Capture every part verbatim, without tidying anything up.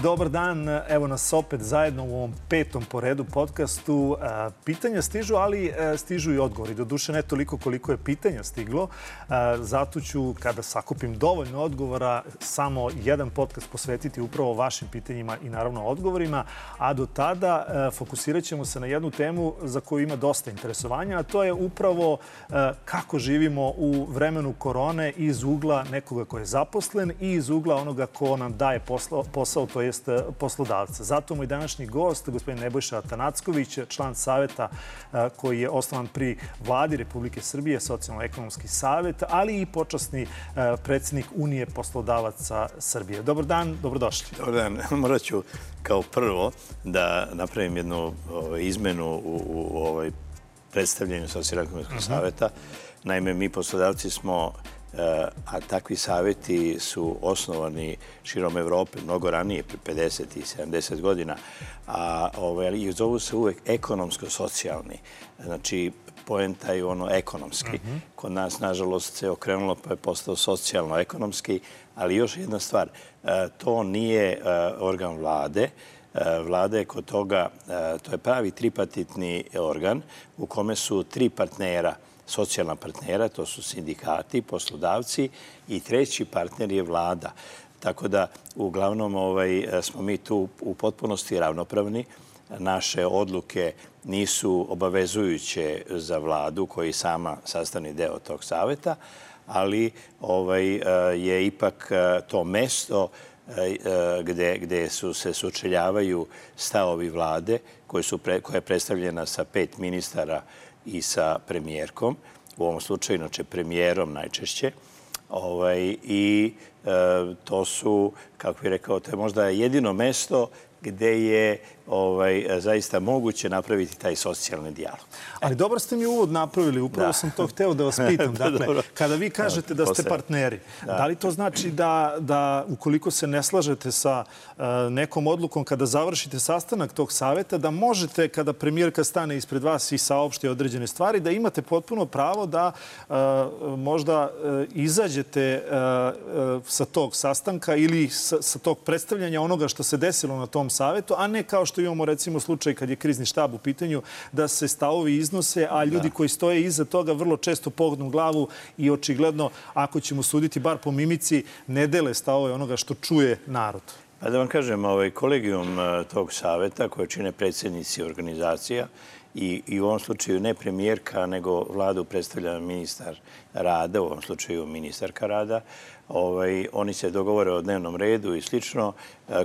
Dobar dan, evo nas opet zajedno u ovom petom po redu podcastu. Pitanja stižu, ali stižu i odgovori. Doduše ne toliko koliko je pitanja stiglo. Zato ću, kada sakupim dovoljno odgovora, samo jedan podcast posvetiti upravo vašim pitanjima i naravno odgovorima. A do tada fokusirat ćemo se na jednu temu za koju ima dosta interesovanja, a to je upravo kako živimo u vremenu korone iz ugla nekoga ko je zaposlen i iz ugla onoga ko nam daje posao, posao to jest poslodavca. Zato moj današnji gost, gospodin Nebojša Atanacković, član saveta koji je osnovan pri Vladi Republike Srbije, Socijalno-ekonomski savet, ali i počasni predsjednik Unije poslodavaca Srbije. Dobar dan, dobrodošli. Dobar dan. Morat ću kao prvo da napravim jednu izmenu u, u ovoj predstavljanju Socijalno-ekonomskog saveta. Naime, mi poslodavci smo, a takvi savjeti su osnovani širom Evrope mnogo ranije, pre pedeset i sedamdeset godina, a ovaj, i zovu se uvek ekonomsko-socijalni. Znači, poenta je ono ekonomski. Kod nas, nažalost, se okrenulo pa je postao socijalno-ekonomski, ali još jedna stvar, to nije organ vlade. Vlada je kod toga, to je pravi tripartitni organ u kome su tri partnera, socijalna partnera, to su sindikati, poslodavci i treći partner je vlada. Tako da, uglavnom, ovaj, smo mi tu u potpunosti ravnopravni. Naše odluke nisu obavezujuće za vladu, koji sama sastavni deo tog saveta, ali ovaj, je ipak to mesto gde, gde su se sučeljavaju stavovi vlade, koje su pre, koja je predstavljena sa pet ministara i sa premijerkom, u ovom slučaju, inače premijerom najčešće. Ovaj, I e, to su, kako bih rekao, to je možda jedino mesto gde je ovaj, zaista moguće napraviti taj socijalni dijalog. Ali dobro ste mi uvod napravili, upravo da. sam to hteo da vas pitam. Dakle, kada vi kažete da ste partneri, da, da li to znači da, da ukoliko se ne slažete sa uh, nekom odlukom, kada završite sastanak tog saveta, da možete, kada premijerka stane ispred vas i saopšti određene stvari, da imate potpuno pravo da uh, možda uh, izađete uh, uh, sa tog sastanka ili sa, sa tog predstavljanja onoga što se desilo na tom savetu, a ne kao što imamo recimo slučaj kad je krizni štab u pitanju, da se stavovi iznose, a ljudi koji stoje iza toga vrlo često pognu glavu i očigledno, ako ćemo suditi bar po mimici, ne dele stavove onoga što čuje narod. Pa da vam kažem, ovaj kolegijum tog saveta koje čine predsjednici organizacija i, i u ovom slučaju ne premijerka, nego vladu predstavlja ministar rada, u ovom slučaju ministarka rada. Ovaj, oni se dogovore o dnevnom redu i slično.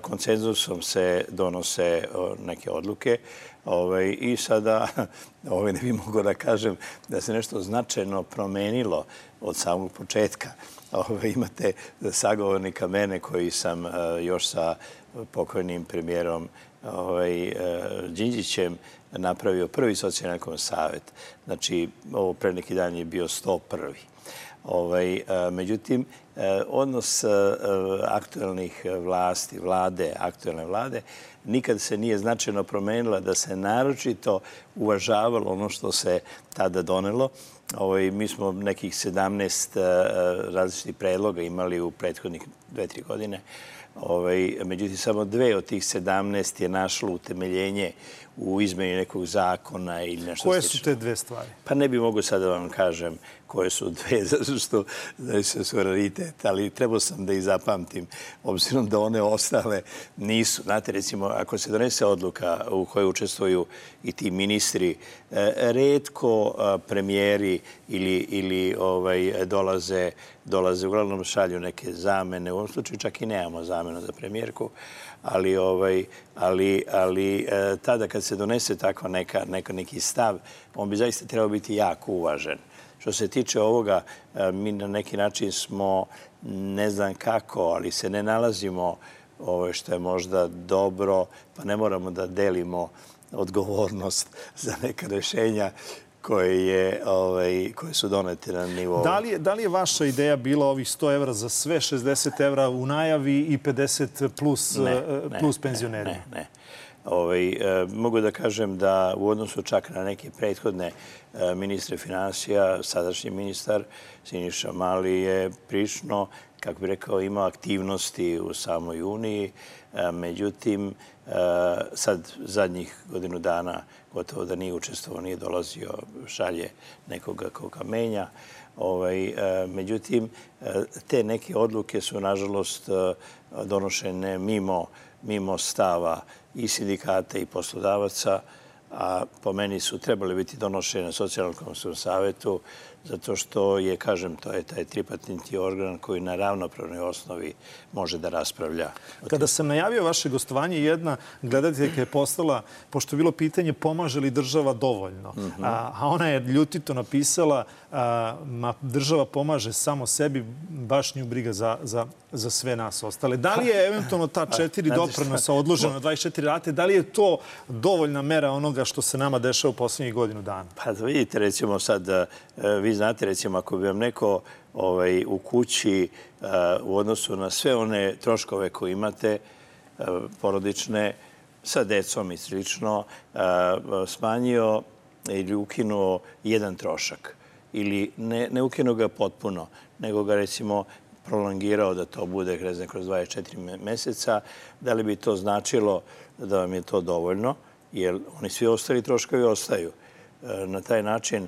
Konsenzusom se donose neke odluke. Ovaj, I sada, ovaj, ne bih mogao da kažem da se nešto značajno promenilo od samog početka. Ovaj, imate sagovornika mene koji sam još sa pokojnim premijerom ovaj, Đinđićem napravio prvi socijalno-ekonomski savet. Znači, ovo pre neki dan je bio sto prvi. Ovaj, međutim, odnos aktualnih vlasti, vlade, aktualne vlade, nikad se nije značajno promenila da se naročito uvažavalo ono što se tada donelo. Ovaj, mi smo nekih sedamnaest različitih predloga imali u prethodnih dve, tri godine. Ovaj, međutim, samo dve od tih sedamnaest je našlo utemeljenje u izmeni nekog zakona ili nešto koje slično. Su te dve stvari? Pa ne bih mogu sad da vam kažem koje su dve, zato što znači, su raritet, ali trebao sam da ih zapamtim, obzirom da one ostale nisu. Znate, recimo, ako se donese odluka u kojoj učestvuju i ti ministri, retko premijeri ili, ili ovaj, dolaze, dolaze, uglavnom šalju neke zamene. U ovom slučaju čak i nemamo zamenu za premijerku, ali, ovaj, ali, ali tada kad se donese tako neka, neka, neki stav, on bi zaista trebao biti jako uvažen. Što se tiče ovoga, mi na neki način smo, ne znam kako, ali se ne nalazimo ovo što je možda dobro, pa ne moramo da delimo odgovornost za neka rešenja koje, je, ovaj, koje su donete na nivou. Da li, je, da li je vaša ideja bila ovih sto evra za sve, šezdeset evra u najavi i pedeset plus, ne, plus ne, penzionerima? Ne, ne. Ovaj, e, mogu da kažem da u odnosu čak na neke prethodne e, ministre finansija, sadašnji ministar Siniša Mali je prilično kako bih rekao, imao aktivnosti u samoj Uniji. Međutim, sad zadnjih godinu dana gotovo da nije učestvovao, nije dolazio, šalje nekoga koga menja. Međutim, te neke odluke su, nažalost, donošene mimo, mimo stava i sindikata i poslodavaca, a po meni su trebali biti donošene na Socijalno-ekonomskom savetu, zato što je, kažem, to je taj tripartitni organ koji na ravnopravnoj osnovi može da raspravlja. Kada sam najavio vaše gostovanje, jedna gledateljka je postala, pošto je bilo pitanje pomaže li država dovoljno, a ona je ljutito napisala ma država pomaže samo sebi, baš nju briga za, za, za sve nas ostale. Da li je eventualno ta četiri doprinosa odložena na dvadeset četiri rate, da li je to dovoljna mera onoga što se nama dešava u poslednjih godinu dana? Pa da vidite, recimo sad, vi znate, recimo, ako bi vam neko ovaj, u kući uh, u odnosu na sve one troškove koje imate, uh, porodične, sa decom i slično, uh, smanjio ili ukinuo jedan trošak. Ili ne, ne ukinuo ga potpuno, nego ga, recimo, prolongirao da to bude ne znam, kroz dvadeset četiri meseca, da li bi to značilo da vam je to dovoljno, jer oni svi ostali troškovi ostaju. Uh, na taj način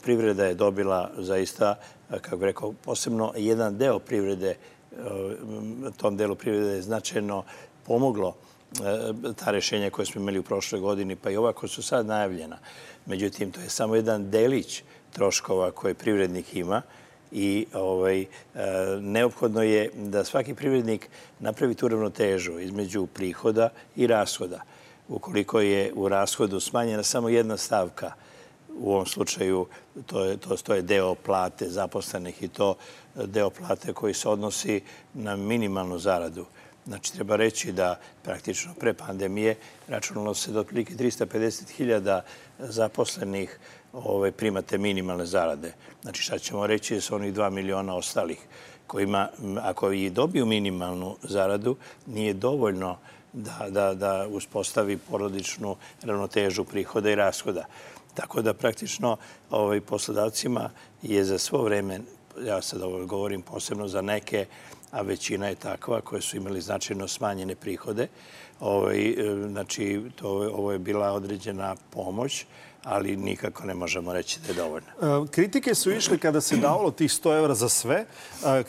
privreda je dobila zaista, kako bih rekao, posebno jedan deo privrede, tom delu privrede je značajno pomoglo ta rešenja koje smo imali u prošloj godini, pa i ova koja su sad najavljena. Međutim, to je samo jedan delić troškova koje privrednik ima i ovaj, neophodno je da svaki privrednik napravi tu ravnotežu između prihoda i rashoda. Ukoliko je u rashodu smanjena samo jedna stavka, u ovom slučaju to je, to, to je deo plate zaposlenih i to deo plate koji se odnosi na minimalnu zaradu. Znači, treba reći da praktično pre pandemije računalo se da otprilike trista pedeset hiljada zaposlenih ovaj, primate minimalne zarade. Znači, šta ćemo reći da su onih dva miliona ostalih kojima, ako i dobiju minimalnu zaradu, nije dovoljno da, da, da uspostavi porodičnu ravnotežu prihoda i rashoda. Tako da praktično ovaj, poslodavcima je za svo vreme, ja sad ovo govorim posebno za neke, a većina je takva, koje su imali značajno smanjene prihode. Ovaj, znači, to, ovo je bila određena pomoć, ali nikako ne možemo reći da je dovoljno. Kritike su išle kada se davalo tih sto evra za sve.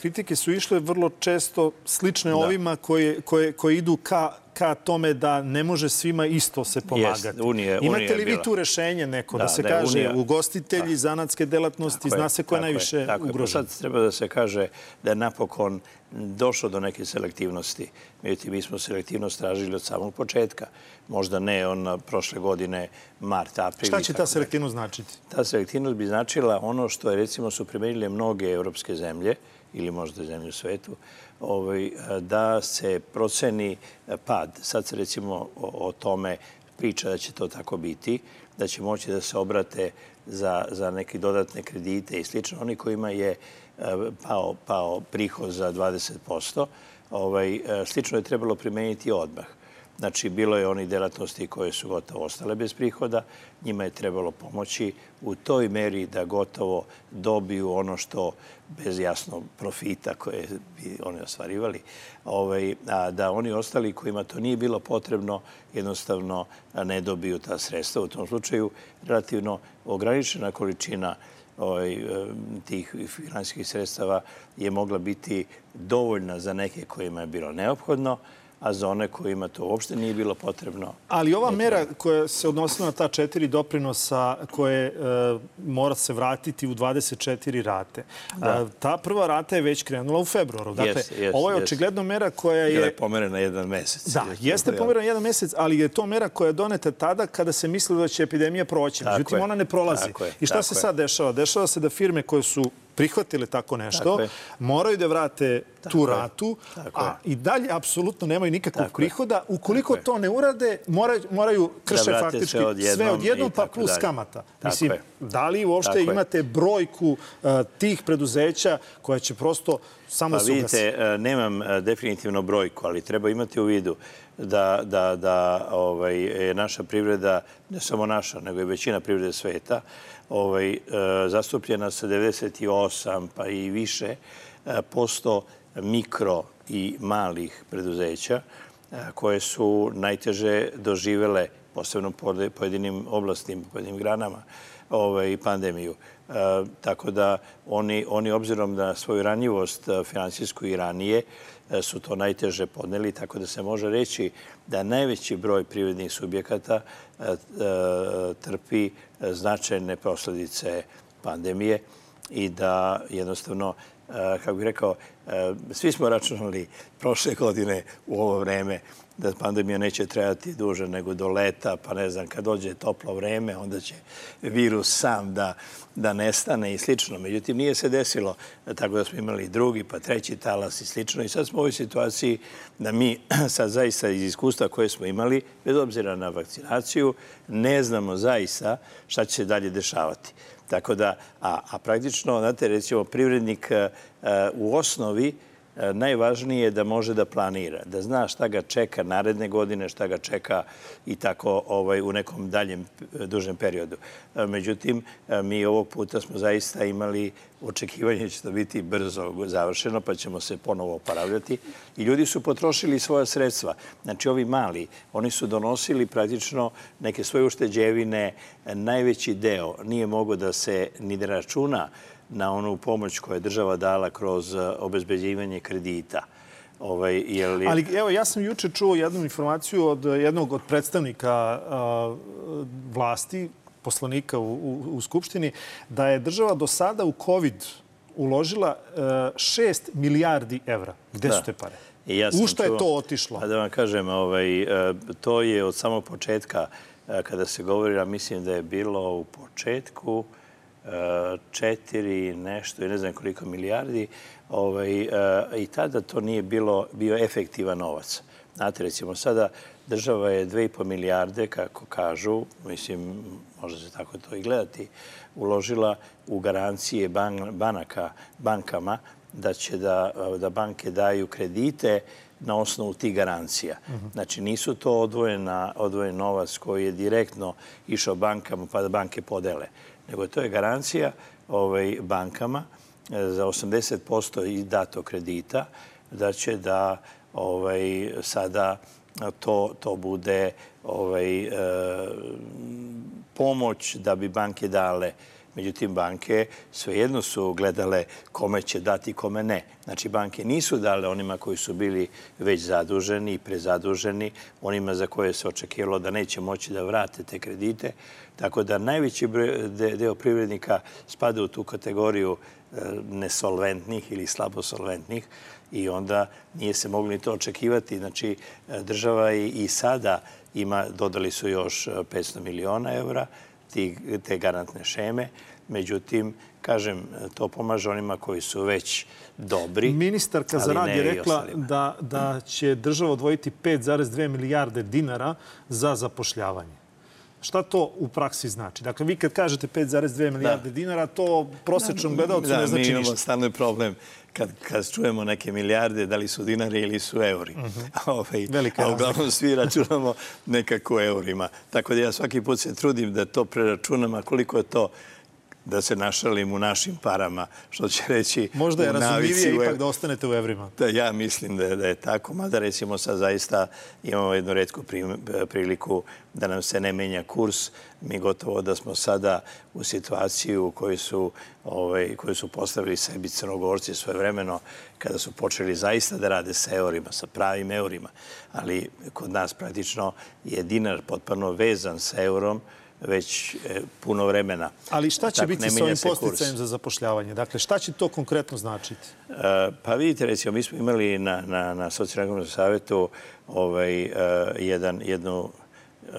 Kritike su išle vrlo često slične ovima koje, koje, koje idu ka ka tome da ne može svima isto se pomagati. Jest, unije, Imate unije li vi bila. tu rešenje neko da, da se da kaže unija, ugostitelji, zanatske delatnosti, zna se ko je najviše ugrožen? Sad treba da se kaže da je napokon došlo do neke selektivnosti. Međutim, mi smo selektivnost tražili od samog početka. Možda ne on prošle godine, mart, april. Šta će ta selektivnost značiti? Ta selektivnost bi značila ono što je, recimo, su primenile mnoge evropske zemlje ili možda zemlje u svetu, ovaj, da se proceni pad. Sad se, recimo, o, o tome priča da će to tako biti, da će moći da se obrate za, za neke dodatne kredite i slično. Oni kojima je pao, pao prihod za dvadeset posto, ovaj, slično je trebalo primeniti odmah. Znači, bilo je onih delatnosti koje su gotovo ostale bez prihoda. Njima je trebalo pomoći u toj meri da gotovo dobiju ono što bez jasno profita koje bi oni ostvarivali, ovaj, a da oni ostali kojima to nije bilo potrebno jednostavno ne dobiju ta sredstva. U tom slučaju relativno ograničena količina ovaj, tih finansijskih sredstava je mogla biti dovoljna za neke kojima je bilo neophodno, a za one kojima to uopšte nije bilo potrebno. Ali ova mera koja se odnosila na ta četiri doprinosa koje e, mora se vratiti u dvadeset četiri rate, da. ta prva rata je već krenula u februaru. Dakle, yes, yes, ovo je yes. očigledno mera koja je... Je pomerena jedan mesec. Da, jeste pomerena jedan mesec, ali je to mera koja je doneta tada kada se mislilo da će epidemija proći. Međutim, ona ne prolazi. Je, I šta se sad dešava? Dešava se da firme koje su prihvatile tako nešto, tako moraju da vrate tako tu ratu, a je. i dalje apsolutno nemaju nikakvog tako prihoda. Ukoliko to ne urade, moraju, moraju krše da faktički sve odjednom, sve odjednom pa plus dalje. kamata. Tako Mislim, je. da li uopšte tako imate je. brojku uh, tih preduzeća koja će prosto samo pa, se ugasi? Vidite, nemam definitivno brojku, ali treba imati u vidu da, da, da ovaj, je naša privreda, ne samo naša, nego i većina privrede sveta, ovaj, zastupljena sa devedeset osam pa i više posto mikro i malih preduzeća koje su najteže doživele, posebno po pojedinim oblastima, pojedinim granama, ovaj, pandemiju. E, tako da oni, oni obzirom na svoju ranjivost finansijsku i ranije su to najteže podneli, tako da se može reći da najveći broj privrednih subjekata e, e, trpi značajne posledice pandemije i da jednostavno, kako bih rekao, svi smo računali prošle godine u ovo vreme da pandemija neće trajati duže nego do leta, pa ne znam, kad dođe toplo vreme, onda će virus sam da, da nestane i slično. Međutim, nije se desilo, tako da smo imali drugi, pa treći talas i slično. I sad smo u ovoj situaciji da mi sad zaista iz iskustva koje smo imali, bez obzira na vakcinaciju, ne znamo zaista šta će se dalje dešavati. Tako da, a, a praktično, znate, recimo, privrednik u osnovi najvažnije je da može da planira, da zna šta ga čeka naredne godine, šta ga čeka i tako ovaj, u nekom daljem, dužem periodu. Međutim, mi ovog puta smo zaista imali očekivanje da će to biti brzo završeno, pa ćemo se ponovo oporavljati. I ljudi su potrošili svoja sredstva. Znači, ovi mali, oni su donosili praktično neke svoje ušteđevine. Najveći deo nije mogao da se ni da računa na onu pomoć koju je država dala kroz obezbeđivanje kredita. Ovaj, je... Ali evo, ja sam juče čuo jednu informaciju od jednog od predstavnika uh, vlasti, poslanika u, u, u Skupštini, da je država do sada u COVID uložila uh, šest milijardi evra. Gde da. su te pare? Ja u što je to otišlo? Pa da vam kažem, ovaj, to je od samog početka, kada se govori, a mislim da je bilo u početku četiri nešto i ne znam koliko milijardi, ovaj, i tada to nije bilo, bio efektivan novac. Znate, recimo, sada država je dve i po milijarde, kako kažu, mislim, može se tako to i gledati, uložila u garancije ban, banaka, bankama da će da, da banke daju kredite na osnovu tih garancija. Znači, nisu to odvojena, odvojen novac koji je direktno išao bankama pa da banke podele, nego to je garancija ovaj, bankama za osamdeset posto i dato kredita da će da ovaj, sada to, to bude ovaj, e, pomoć da bi banke dale. Međutim, banke svejedno su gledale kome će dati, kome ne. Znači, banke nisu dale onima koji su bili već zaduženi i prezaduženi, onima za koje se očekivalo da neće moći da vrate te kredite. Tako da najveći deo privrednika spada u tu kategoriju nesolventnih ili slabosolventnih i onda nije se moglo ni to očekivati. Znači, država i sada ima, dodali su još petsto miliona evra, te garantne šeme. Međutim, kažem, to pomaže onima koji su već dobri. Ministarka za rad je rekla da, da će država odvojiti pet zarez dve milijarde dinara za zapošljavanje. Šta to u praksi znači? Dakle, vi kad kažete pet zarez dve milijarde dinara, to prosječnom gledalcu ne znači ništa. Da, mi imamo stalno problem kad, kad čujemo neke milijarde, da li su dinari ili su euri. Ovaj, a uglavnom svi računamo nekako u eurima. Tako da ja svaki put se trudim da to preračunam, a koliko je to da se našalim u našim parama, što će reći... Možda je razumljivije ipak da ostanete u evrima. Da, ja mislim da je, da je tako. Mada recimo sad zaista imamo jednu retku priliku da nam se ne menja kurs. Mi gotovo da smo sada u situaciji u kojoj su, ovaj, koju su postavili sebi Crnogorci svojevremeno kada su počeli zaista da rade sa eurima, sa pravim eurima. Ali kod nas praktično je dinar potpuno vezan sa eurom već puno vremena. Ali šta će biti s ovim posticajem za zapošljavanje? Dakle, šta će to konkretno značiti? Pa vidite, recimo, mi smo imali na, na, na Socijalno-ekonomskom savjetu ovaj, jedan, jednu,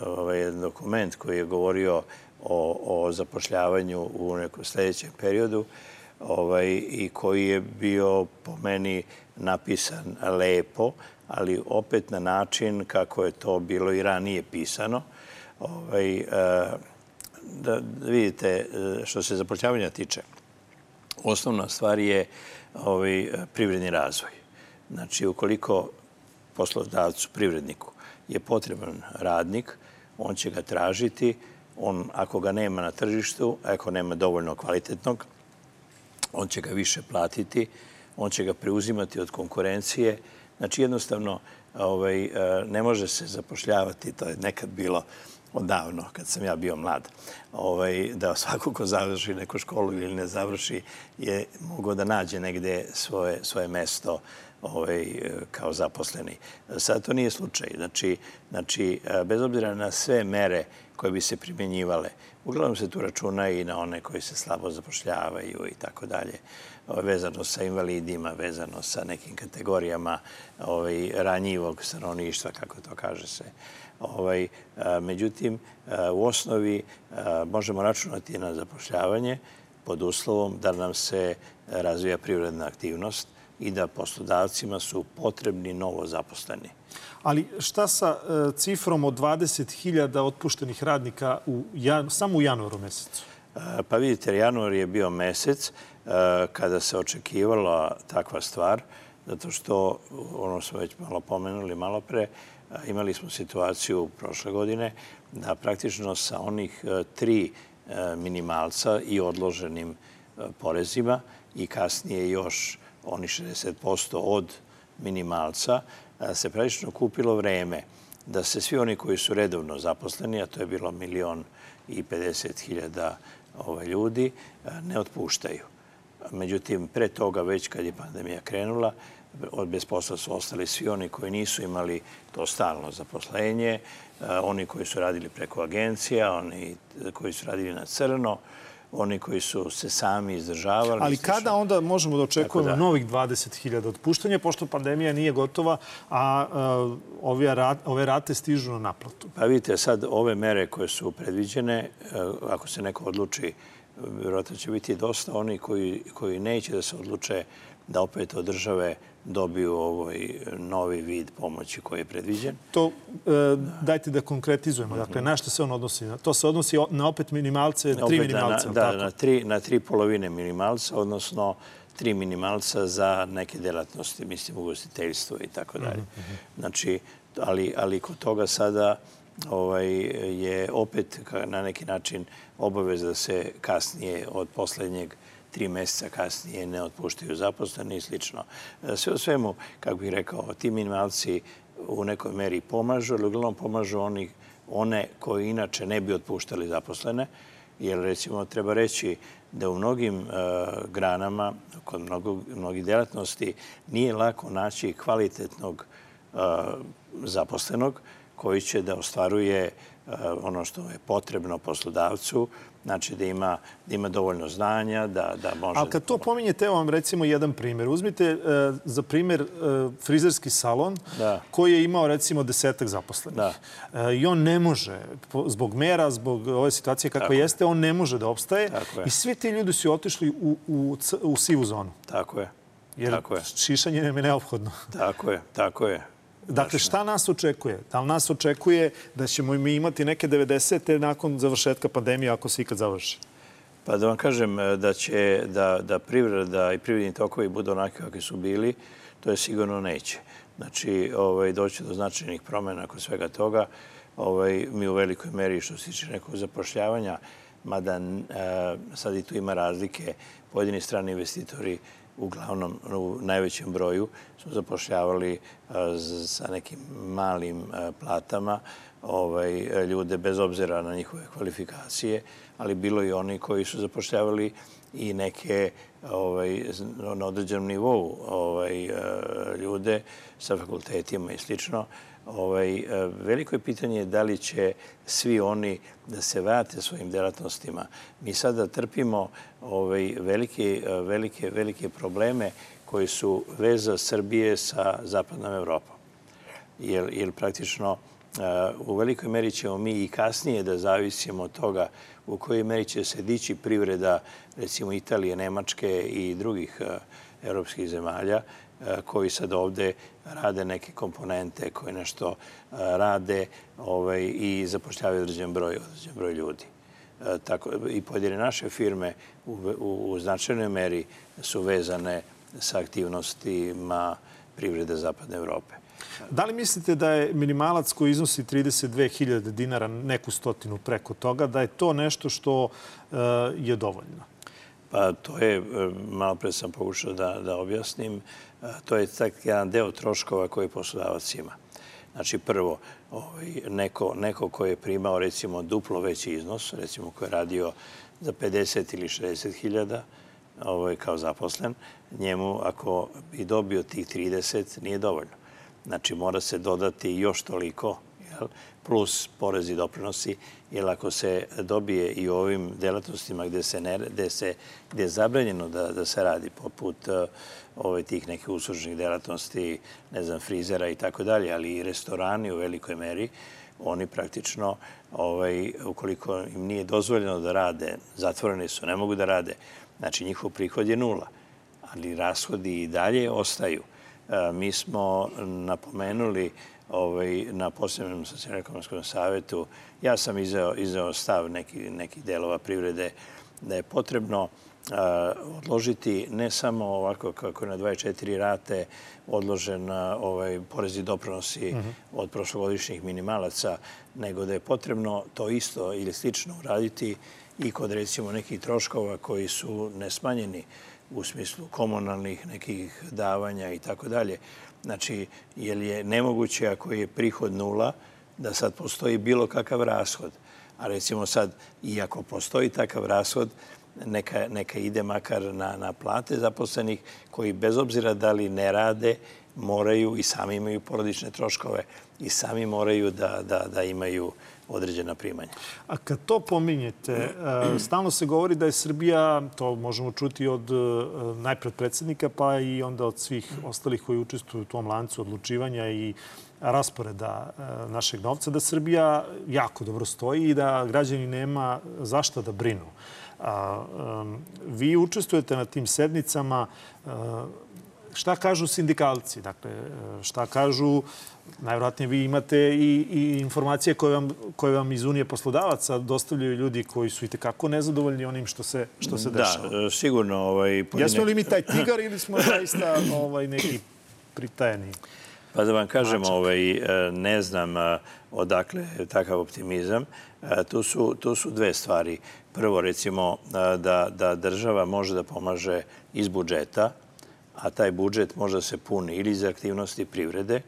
ovaj, jedan dokument koji je govorio o, o zapošljavanju u nekom sljedećem periodu ovaj, i koji je bio po meni napisan lepo, ali opet na način kako je to bilo i ranije pisano. Ovaj, da vidite, što se zapošljavanja tiče, osnovna stvar je ovaj, privredni razvoj. Znači, ukoliko poslodavcu, privredniku, je potreban radnik, on će ga tražiti. On, ako ga nema na tržištu, ako nema dovoljno kvalitetnog, on će ga više platiti, on će ga preuzimati od konkurencije. Znači, jednostavno, ovaj, ne može se zapošljavati, to je nekad bilo odavno, kad sam ja bio mlad, ovaj, da svako ko završi neku školu ili ne završi je mogao da nađe negde svoje, svoje mesto ovaj, kao zaposleni. Sad to nije slučaj. Znači, znači, bez obzira na sve mere koje bi se primjenjivale, uglavnom se tu računa i na one koji se slabo zapošljavaju i tako dalje, vezano sa invalidima, vezano sa nekim kategorijama ovaj, ranjivog stanovništva, kako to kaže se. Ovaj, međutim, u osnovi možemo računati na zapošljavanje pod uslovom da nam se razvija privredna aktivnost i da poslodavcima su potrebni novo zaposleni. Ali šta sa cifrom od dvadeset hiljada otpuštenih radnika u, samo u januaru mesecu? Pa vidite, januar je bio mesec kada se očekivala takva stvar, zato što, ono smo već malo pomenuli malo pre, imali smo situaciju prošle godine da praktično sa onih tri minimalca i odloženim porezima i kasnije još oni šezdeset posto od minimalca se praktično kupilo vreme da se svi oni koji su redovno zaposleni, a to je bilo milion i pedeset hiljada ljudi, ne otpuštaju. Međutim, pre toga, već kad je pandemija krenula, bez posla su ostali svi oni koji nisu imali to stalno zaposlenje, oni koji su radili preko agencija, oni koji su radili na crno, oni koji su se sami izdržavali. Ali kada onda možemo da očekujemo novih dvadeset hiljada otpuštanja, pošto pandemija nije gotova, a ove rate stižu na naplatu? Pa vidite, sad ove mere koje su predviđene, ako se neko odluči, vjerojatno će biti dosta oni koji neće da se odluče da opet od države dobiju ovaj novi vid pomoći koji je predviđen. To dajte da konkretizujemo. Dakle, na što se on odnosi? To se odnosi na opet minimalce, tri minimalce. Da, na tri polovine minimalca, odnosno tri minimalca za neke delatnosti, mislim, ugostiteljstvo i tako dalje. Znači, ali kod toga sada je opet na neki način obaveza da se kasnije od poslednjeg tri meseca kasnije ne otpuštaju zaposleni i slično. Sve u svemu, kako bih rekao, ti minimalci u nekoj meri pomažu, ali uglavnom pomažu one koji inače ne bi otpuštali zaposlene, jer recimo treba reći da u mnogim granama, kod mnogih delatnosti, nije lako naći kvalitetnog zaposlenog koji će da ostvaruje ono što je potrebno poslodavcu, znači da ima dovoljno znanja, da može... Ali kad to pominjete, evo vam recimo jedan primjer. Uzmite za primjer frizerski salon koji je imao recimo desetak zaposlenih. I on ne može, zbog mera, zbog ove situacije kako jeste, on ne može da opstaje. I svi ti ljudi su otišli u sivu zonu. Tako je. Jer šišanje nam je neophodno. Tako je, tako je. Dakle, šta nas očekuje? Da li nas očekuje da ćemo mi imati neke devedesete nakon završetka pandemije, ako se ikad završi? Pa da vam kažem da će da privreda i privredni tokovi budu onaki kakvi su bili, to je sigurno neće. Znači, doći do značajnih promjena kod svega toga. Mi u velikoj meri, što se tiče nekog zapošljavanja, mada sad i tu ima razlike, pojedini strani investitori uglavnom u najvećem broju smo zapošljavali sa nekim malim platama ljude bez obzira na njihove kvalifikacije, ali bilo i oni koji su zapošljavali i neke na određenom nivou ljude sa fakultetima i slično. Veliko je pitanje da li će svi oni da se vrate svojim delatnostima. Mi sada trpimo velike, velike, velike probleme koji su veza Srbije sa zapadnom Evropom. Jer praktično u velikoj meri ćemo mi i kasnije da zavisimo od toga u kojoj meri će se dići privreda, recimo Italije, Nemačke i drugih evropskih zemalja, koji sad ovde rade neke komponente, koji nešto rade i zapošljavaju određen broj ljudi. I pojedine naše firme u značajnoj meri su vezane sa aktivnostima privrede Zapadne Evrope. Da li mislite da je minimalac koji iznosi trideset dve hiljade dinara, neku stotinu preko toga, da je to nešto što je dovoljno? Pa to je, malo pre sam pokušao da, da objasnim, to je tak jedan deo troškova koji poslodavac ima. Znači, prvo, ovaj, neko, neko ko je primao, recimo, duplo veći iznos, recimo, ko je radio za pedeset ili šezdeset hiljada ovaj, kao zaposlen, njemu, ako bi dobio tih trideset, nije dovoljno. Znači, mora se dodati još toliko, jel, plus porezi i doprinosi, jer ako se dobije i u ovim delatnostima gde, se ne, gde, se, gde je zabranjeno da, da se radi, poput uh, ovaj, tih nekih uslužnih delatnosti, ne znam, frizera i tako dalje, ali i restorani u velikoj meri, oni praktično, ovaj, ukoliko im nije dozvoljeno da rade, zatvoreni su, ne mogu da rade, znači njihov prihod je nula, ali rashodi i dalje ostaju. Uh, mi smo napomenuli ovaj, na posebnom socijalno-ekonomskom savetu, ja sam izeo, izeo stav nekih neki delova privrede da je potrebno a, odložiti ne samo ovako kako je na dvadeset četiri rate odložen a, ovaj, porezi i doprinosi mm-hmm. od prošlogodišnjih minimalaca, nego da je potrebno to isto ili slično uraditi i kod recimo nekih troškova koji su nesmanjeni u smislu komunalnih nekih davanja i tako dalje. Znači, jer je nemoguće ako je prihod nula, da sad postoji bilo kakav rashod. A recimo sad, i ako postoji takav rashod, neka, neka ide makar na, na plate zaposlenih koji bez obzira da li ne rade, moraju i sami imaju porodične troškove i sami moraju da, da, da imaju određena primanja. A kad to pominjete, stalno se govori da je Srbija, to možemo čuti od najpred predsjednika, pa i onda od svih ostalih koji učestvuju u tom lancu odlučivanja i rasporeda našeg novca, da Srbija jako dobro stoji i da građani nema zašta da brinu. Vi učestvujete na tim sednicama. Šta kažu sindikalci? Dakle, šta kažu, najvjerojatnije vi imate i, i informacije koje vam, koje vam iz Unije poslodavaca dostavljaju ljudi koji su i tekako nezadovoljni onim što se, što se dešava. Da, sigurno. Ovaj, pojedine... Jesmo li mi taj tigar ili smo zaista ovaj, neki pritajeni? Pa da vam kažem, ovaj, ne znam odakle takav optimizam. Tu su, tu su dve stvari. Prvo, recimo, da, da država može da pomaže iz budžeta, a taj budžet može da se puni ili iz aktivnosti privrede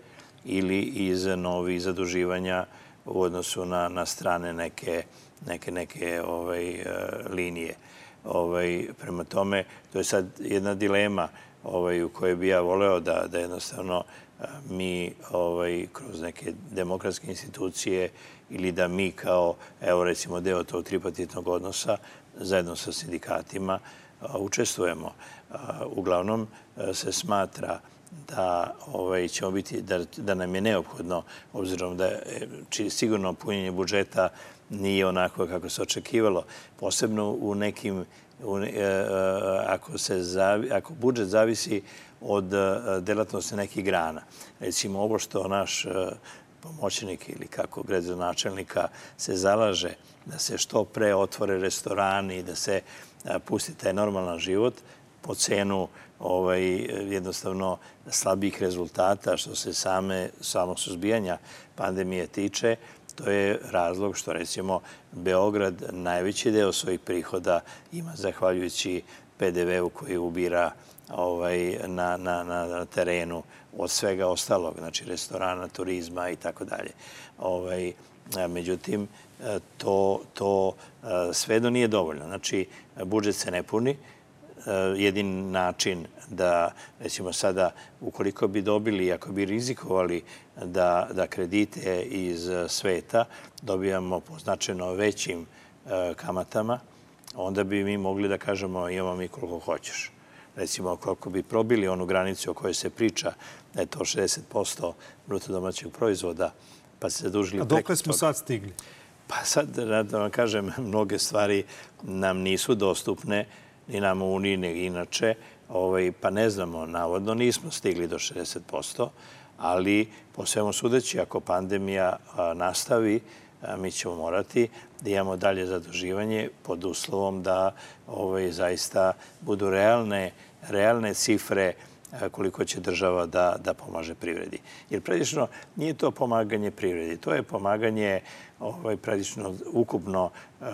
ili iz novih zaduživanja u odnosu na, na strane neke, neke, neke ovaj, linije. Ovaj, prema tome, to je sad jedna dilema ovaj, u kojoj bi ja voleo da, da jednostavno mi ovaj, kroz neke demokratske institucije ili da mi kao, evo recimo, deo tog tripartitnog odnosa zajedno sa sindikatima učestvujemo. Uglavnom se smatra da ovaj, ćemo biti, da, da nam je neophodno, obzirom da či, sigurno punjenje budžeta nije onako kako se očekivalo, posebno u nekim, u, ako, se zavi, ako budžet zavisi od delatnosti nekih grana. Recimo ovo što naš pomoćnik ili kako gradonačelnika se zalaže da se što pre otvore restorani i da se pusti taj normalan život po cenu ovaj, jednostavno slabih rezultata što se same, samog suzbijanja pandemije tiče, to je razlog što recimo Beograd najveći deo svojih prihoda ima zahvaljujući pe de ve u koji ubira ovaj, na, na, na terenu od svega ostalog, znači restorana, turizma i tako dalje. Ovaj, međutim, to, to svejedno nije dovoljno. Znači, budžet se ne puni. Jedin način da, recimo sada, ukoliko bi dobili, ako bi rizikovali da, da kredite iz sveta dobijamo po značajno većim kamatama, onda bi mi mogli da kažemo imamo mi koliko hoćeš. Recimo, koliko bi probili onu granicu o kojoj se priča, da je to šezdeset posto bruto domaćeg proizvoda, pa se zadužili preko toga. A dokle smo sad stigli? Pa sad, da vam kažem, mnoge stvari nam nisu dostupne, ni nam u Uniji, ni inače. Ovaj, pa ne znamo, navodno nismo stigli do šezdeset posto, ali po svemu sudeći, ako pandemija a, nastavi, a, mi ćemo morati da imamo dalje zaduživanje pod uslovom da ovaj, zaista budu realne, realne cifre koliko će država da, da pomaže privredi. Jer predično nije to pomaganje privredi, to je pomaganje ovaj, predično ukupno uh,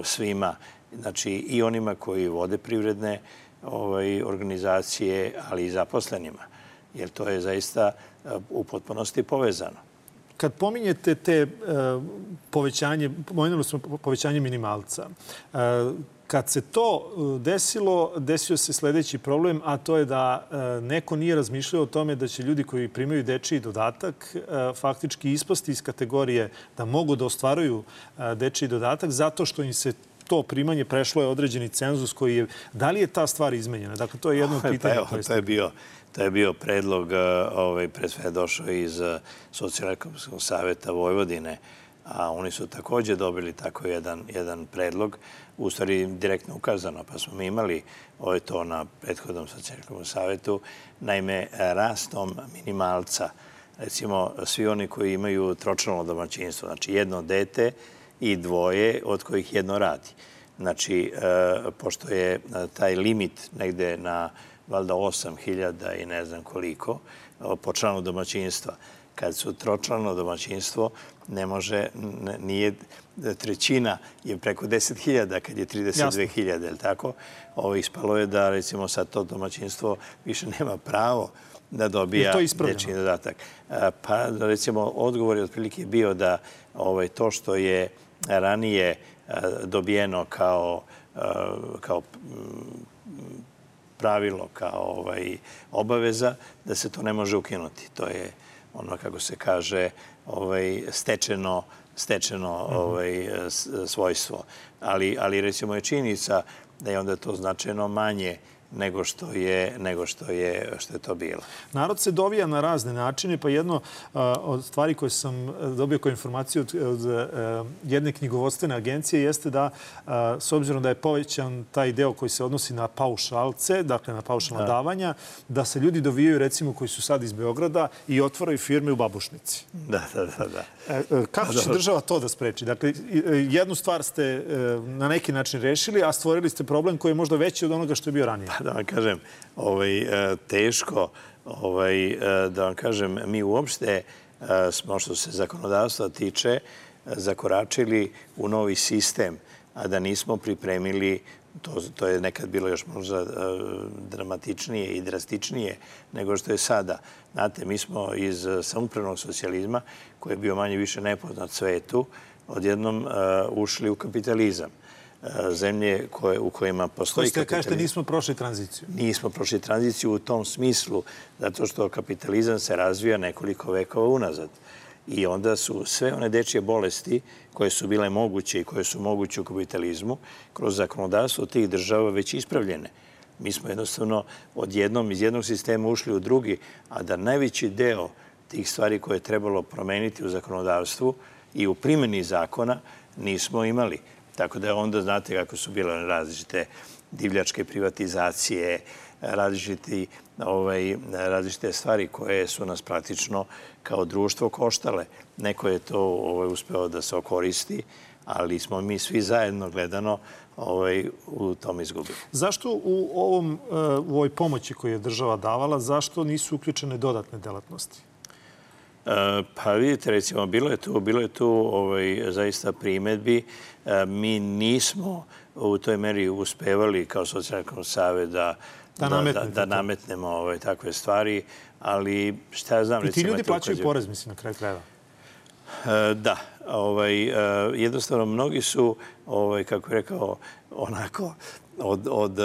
svima. znači i onima koji vode privredne ovaj, organizacije, ali i zaposlenima, jer to je zaista u potpunosti povezano. Kad pominjete te uh, povećanje, pomenuli smo povećanje minimalca, uh, kad se to desilo, desio se sledeći problem, a to je da uh, neko nije razmišljao o tome da će ljudi koji primaju dečiji dodatak uh, faktički ispasti iz kategorije da mogu da ostvaruju uh, dečiji dodatak zato što im se to primanje prešlo je određeni cenzus koji je... Da li je ta stvar izmenjena? Dakle, to je jedno pitanje. Pa evo, to je bio... To je bio predlog, ovaj, pre sve došao iz Socijalno-ekonomskog saveta Vojvodine, a oni su takođe dobili tako jedan, jedan predlog, u stvari direktno ukazano, pa smo mi imali ovaj, to na prethodnom Socijalno-ekonomskom savetu. Naime, rastom minimalca, recimo svi oni koji imaju tročlano domaćinstvo, znači jedno dete i dvoje od kojih jedno radi. Znači, pošto je taj limit negde na valjda osam hiljada i ne znam koliko po članu domaćinstva. Kad su tročlano domaćinstvo, ne može, nije trećina, je preko deset hiljada kad je trideset dve hiljade, je li tako? Ovo ispalo je da, recimo, sad to domaćinstvo više nema pravo da dobija dečiji dodatak. Pa, recimo, odgovor je otprilike bio da ovaj, to što je ranije dobijeno kao, kao pravilo, kao ovaj, obaveza, da se to ne može ukinuti. To je ono, kako se kaže, ovaj, stečeno, stečeno ovaj, svojstvo. Ali, ali recimo je činjenica da je onda to značajno manje nego što je, nego što je, što je to bilo. Narod se dovija na razne načine, pa jedno od stvari koje sam dobio kao informaciju od, od jedne knjigovodstvene agencije jeste da, s obzirom da je povećan taj deo koji se odnosi na paušalce, dakle na paušalna da. davanja, da se ljudi dovijaju, recimo, koji su sad iz Beograda i otvaraju firme u Babušnici. Da, da, da. da. Kako će država to da spreči? Dakle, jednu stvar ste na neki način rešili, a stvorili ste problem koji je možda veći od onoga što je bio ranije. Da vam kažem, ovaj, teško, ovaj, da vam kažem, mi uopšte smo, što se zakonodavstva tiče, zakoračili u novi sistem, a da nismo pripremili, to, to je nekad bilo još možda dramatičnije i drastičnije nego što je sada. Znate, mi smo iz samoupravnog socijalizma, koji je bio manje više nepoznat svetu, odjednom ušli u kapitalizam. Zemlje koje, u kojima postoji kapitalizam. Kažete, nismo prošli tranziciju. Nismo prošli tranziciju u tom smislu, zato što kapitalizam se razvija nekoliko vekova unazad. I onda su sve one dečije bolesti koje su bile moguće i koje su moguće u kapitalizmu, kroz zakonodavstvo tih država već ispravljene. Mi smo jednostavno odjednom iz jednog sistema ušli u drugi, a da najveći deo tih stvari koje je trebalo promeniti u zakonodavstvu i u primjeni zakona nismo imali. Tako da onda znate kako su bile različite divljačke privatizacije, različiti, ovaj, različite stvari koje su nas praktično kao društvo koštale. Neko je to ovaj, uspeo da se okoristi, ali smo mi svi zajedno gledano ovaj, u tom izgubili. Zašto u, ovom, u ovoj pomoći koju je država davala, zašto nisu uključene dodatne delatnosti? Pa vidite, recimo, bilo je tu, bilo je tu ovaj, zaista primedbi. Mi nismo u toj meri uspevali kao Socijalno savet da, da, da, da, da nametnemo ovaj, takve stvari, ali šta ja znam... I ti ljudi plaćaju ukazio... porez, mislim, na kraju krajeva. Da. Ovaj, jednostavno, mnogi su, ovaj, kako je rekao, onako, od, od,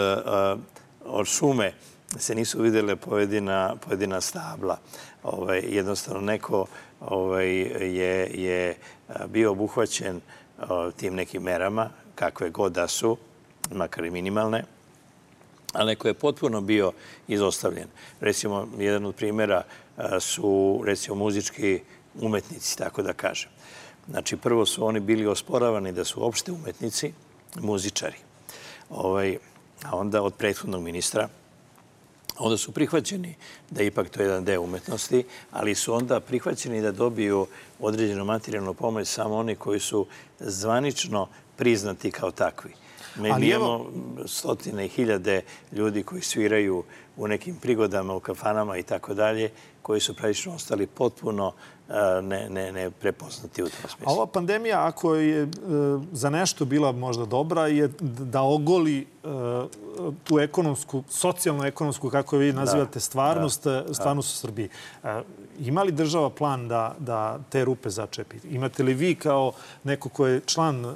od šume se nisu vidjele pojedina, pojedina stabla. Ovaj, jednostavno, neko ovaj, je, je bio obuhvaćen tim nekim merama, kakve god da su, makar i minimalne, a neko je potpuno bio izostavljen. Recimo, jedan od primjera su, recimo, muzički umetnici, tako da kažem. Znači, prvo su oni bili osporavani da su opšte umetnici, muzičari. Ovaj, a onda od prethodnog ministra, onda su prihvaćeni da ipak to je jedan deo umetnosti, ali su onda prihvaćeni da dobiju određenu materijalnu pomoć samo oni koji su zvanično priznati kao takvi. Mi imamo stotine i hiljade ljudi koji sviraju u nekim prigodama, u kafanama i tako dalje, koji su praktično ostali potpuno ne, ne, ne prepoznati u tom smislu. A ova pandemija, ako je za nešto bila možda dobra, je da ogoli tu ekonomsku, socijalno-ekonomsku, kako vi nazivate, stvarnost, stvarnost u Srbiji. Ima li država plan da, da te rupe začepi? Imate li vi kao neko ko je član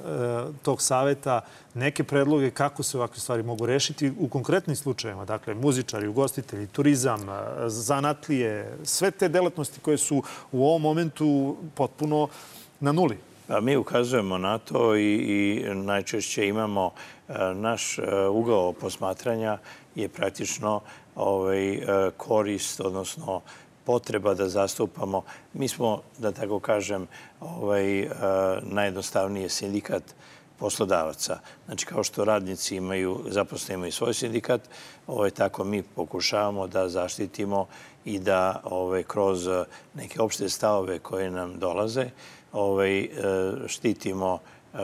tog saveta neke predloge kako se ovakve stvari mogu rešiti u konkretnim slučajevima? Dakle, muzičari, ugostitelji, turizam, zanatlije, sve te delatnosti koje su u ovom momentu potpuno na nuli. A mi ukazujemo na to i, i najčešće imamo naš ugao posmatranja je praktično ovaj, korist, odnosno potreba da zastupamo. Mi smo, da tako kažem, ovaj, najjednostavnije sindikat poslodavaca. Znači, kao što radnici imaju, zaposleni imaju svoj sindikat, ovaj, tako mi pokušavamo da zaštitimo i da ovaj, kroz neke opšte stavove koje nam dolaze ovaj, štitimo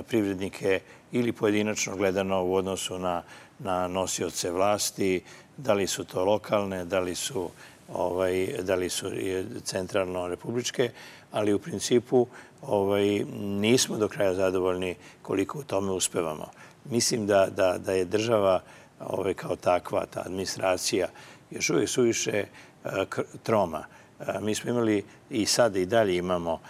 privrednike ili pojedinačno gledano u odnosu na, na nosioce vlasti, da li su to lokalne, da li su, ovaj, da li su centralno-republičke, ali u principu ovaj, nismo do kraja zadovoljni koliko u tome uspevamo. Mislim da, da, da je država ovaj, kao takva, ta administracija, još uvijek suviše troma. Mi smo imali i sada i dalje imamo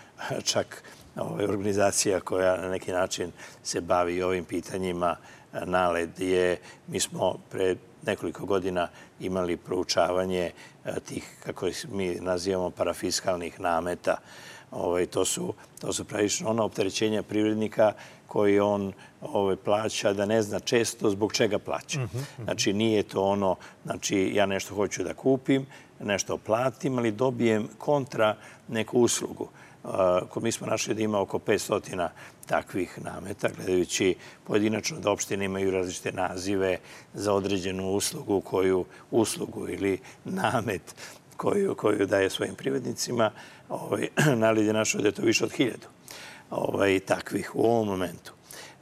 čak ovaj, organizacija koja na neki način se bavi ovim pitanjima. NALED je, mi smo pre nekoliko godina imali proučavanje tih, kako mi nazivamo, parafiskalnih nameta. Ovaj, to su, to su pravično ona opterećenja privrednika koji on ovaj, plaća da ne zna često zbog čega plaća. Znači, nije to ono, znači, ja nešto hoću da kupim, nešto platim, ali dobijem kontra neku uslugu. Uh, mi smo našli da ima oko petsto takvih nameta, gledajući pojedinačno da opštine imaju različite nazive za određenu uslugu, koju uslugu ili namet koju, koju daje svojim privrednicima. Ovaj, NALED je našao da je to više od hiljadu ovaj, takvih u ovom momentu.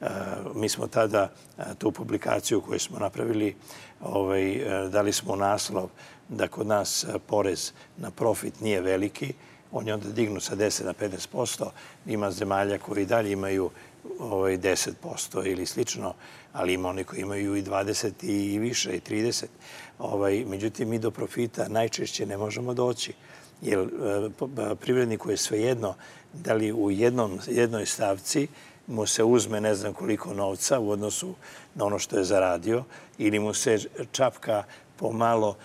Uh, mi smo tada uh, tu publikaciju koju smo napravili, ovaj, uh, dali smo naslov da kod nas uh, porez na profit nije veliki. On je onda dignut sa deset na petnaest posto. Ima zemalja koji dalje imaju ovaj, deset posto ili slično, ali ima oni koji imaju i dvadeset i više, i trideset. Ovaj, međutim, mi do profita najčešće ne možemo doći. Jer privredniku je svejedno da li u jednom, jednoj stavci mu se uzme ne znam koliko novca u odnosu na ono što je zaradio ili mu se čapka pomalo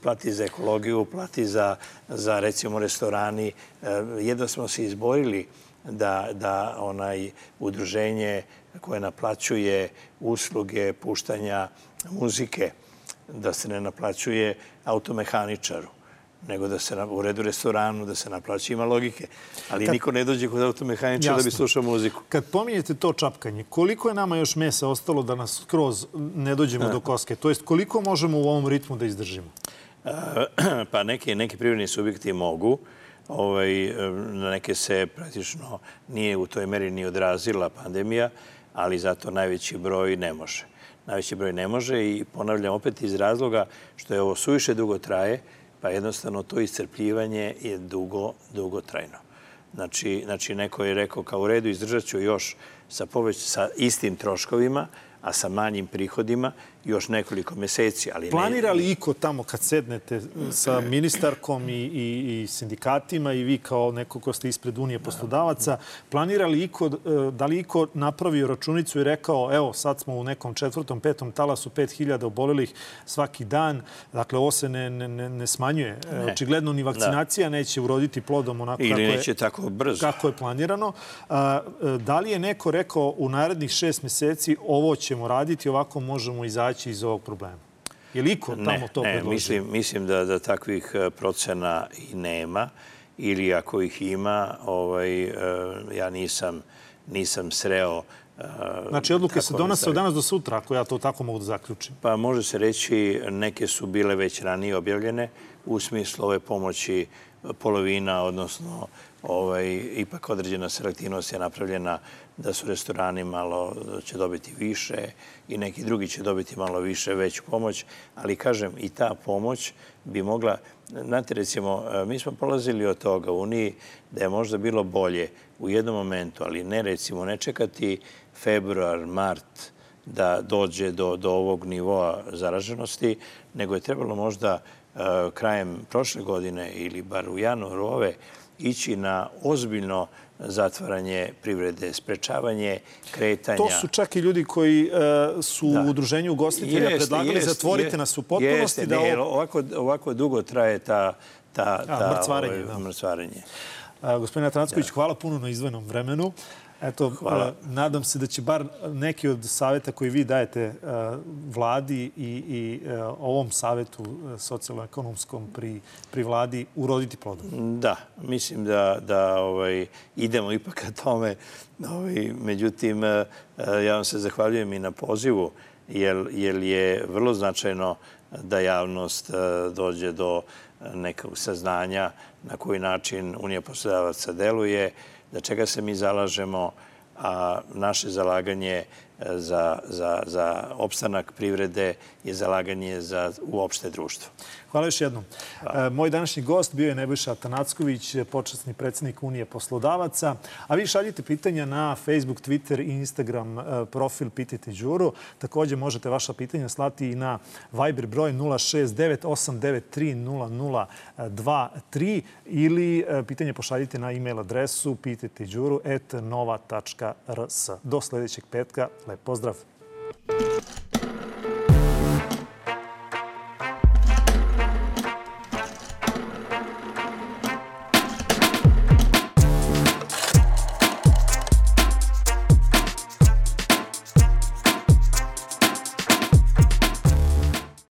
plati za ekologiju, plati za, za recimo restorani. Jedno smo se izborili da, da onaj udruženje koje naplaćuje usluge puštanja muzike, da se ne naplaćuje automehaničaru, nego da se u redu restoranu, da se naplaća, ima logike. Ali kad, niko ne dođe kod automehaničara da bi slušao muziku. Kad pominjete to čapkanje, koliko je nama još mesa ostalo da nas skroz ne dođemo do koske? To jest, koliko možemo u ovom ritmu da izdržimo? Pa neki, neki privredni subjekti mogu. Ovaj, na neke se praktično nije u toj meri ni odrazila pandemija, ali zato najveći broj ne može. Najveći broj ne može i ponavljam opet iz razloga što je ovo suviše dugo traje, pa jednostavno to iscrpljivanje je dugo, dugotrajno. Znači, znači neko je rekao kao u redu izdržat ću još sa, poveć, sa istim troškovima, a sa manjim prihodima još nekoliko meseci. Ali planira li iko tamo kad sednete sa ministarkom i, i, i sindikatima i vi kao neko ko ste ispred Unije poslodavaca, planira li iko, da li iko napravio računicu i rekao evo sad smo u nekom četvrtom, petom talasu, pet hiljada obolelih svaki dan, dakle ovo se ne, ne, ne smanjuje. Ne. Očigledno ni vakcinacija da. neće uroditi plodom onako Ili kako, neće je, tako brzo. kako je planirano. A, da li je neko rekao u narednih šest meseci ovo ćemo raditi, ovako možemo izaći iz ovog problema? Je li iko tamo ne, to ne, predložio? Mislim, mislim da, da takvih procena i nema ili ako ih ima, ovaj, ja nisam, nisam sreo. Znači, odluke se donose od danas do sutra, ako ja to tako mogu da zaključim. Pa može se reći, neke su bile već ranije objavljene u smislu ove pomoći polovina, odnosno ovaj, ipak određena selektivnost je napravljena da su restorani malo će dobiti više i neki drugi će dobiti malo više, veću pomoć. Ali kažem, i ta pomoć bi mogla... Znate, recimo, mi smo polazili od toga u Uniji da je možda bilo bolje u jednom momentu, ali ne recimo, ne čekati februar, mart da dođe do, do ovog nivoa zaraženosti, nego je trebalo možda uh, krajem prošle godine ili bar u januaru ove ići na ozbiljno zatvaranje privrede, sprečavanje kretanja. To su čak i ljudi koji uh, su da. u udruženju ugostitelja jeste, predlagali jeste, zatvorite jeste, nas u potpunosti. Jeste, da ne, ovako, ovako dugo traje ta, ta, ta, A, mrcvarenje. Ovaj, da. mrcvarenje. Uh, gospodine Atanacković, da. hvala puno na izdvojenom vremenu. Eto, uh, nadam se da će bar neki od savjeta koji vi dajete uh, vladi i, i uh, ovom savjetu uh, socijalno-ekonomskom pri, pri vladi uroditi plodom. Da, mislim da, da ovaj, idemo ipak ka tome. Ovaj, međutim, uh, ja vam se zahvaljujem i na pozivu, jer, jer je vrlo značajno da javnost uh, dođe do nekog saznanja na koji način Unija poslodavaca deluje, za čega se mi zalažemo, a naše zalaganje za, za, za opstanak privrede je zalaganje za uopšte društvo. Hvala još jednom. Hvala. Moj današnji gost bio je Nebojša Atanacković, počasni predsjednik Unije poslodavaca. A vi šaljite pitanja na Facebook, Twitter i Instagram profil Pitajte Đuru. Također možete vaša pitanja slati i na Viber broj nula šest devet osam devet tri nula nula dva tri ili pitanje pošaljite na e-mail adresu pitajteđuru at nova tačka r s. Do sljedećeg petka. Lep pozdrav!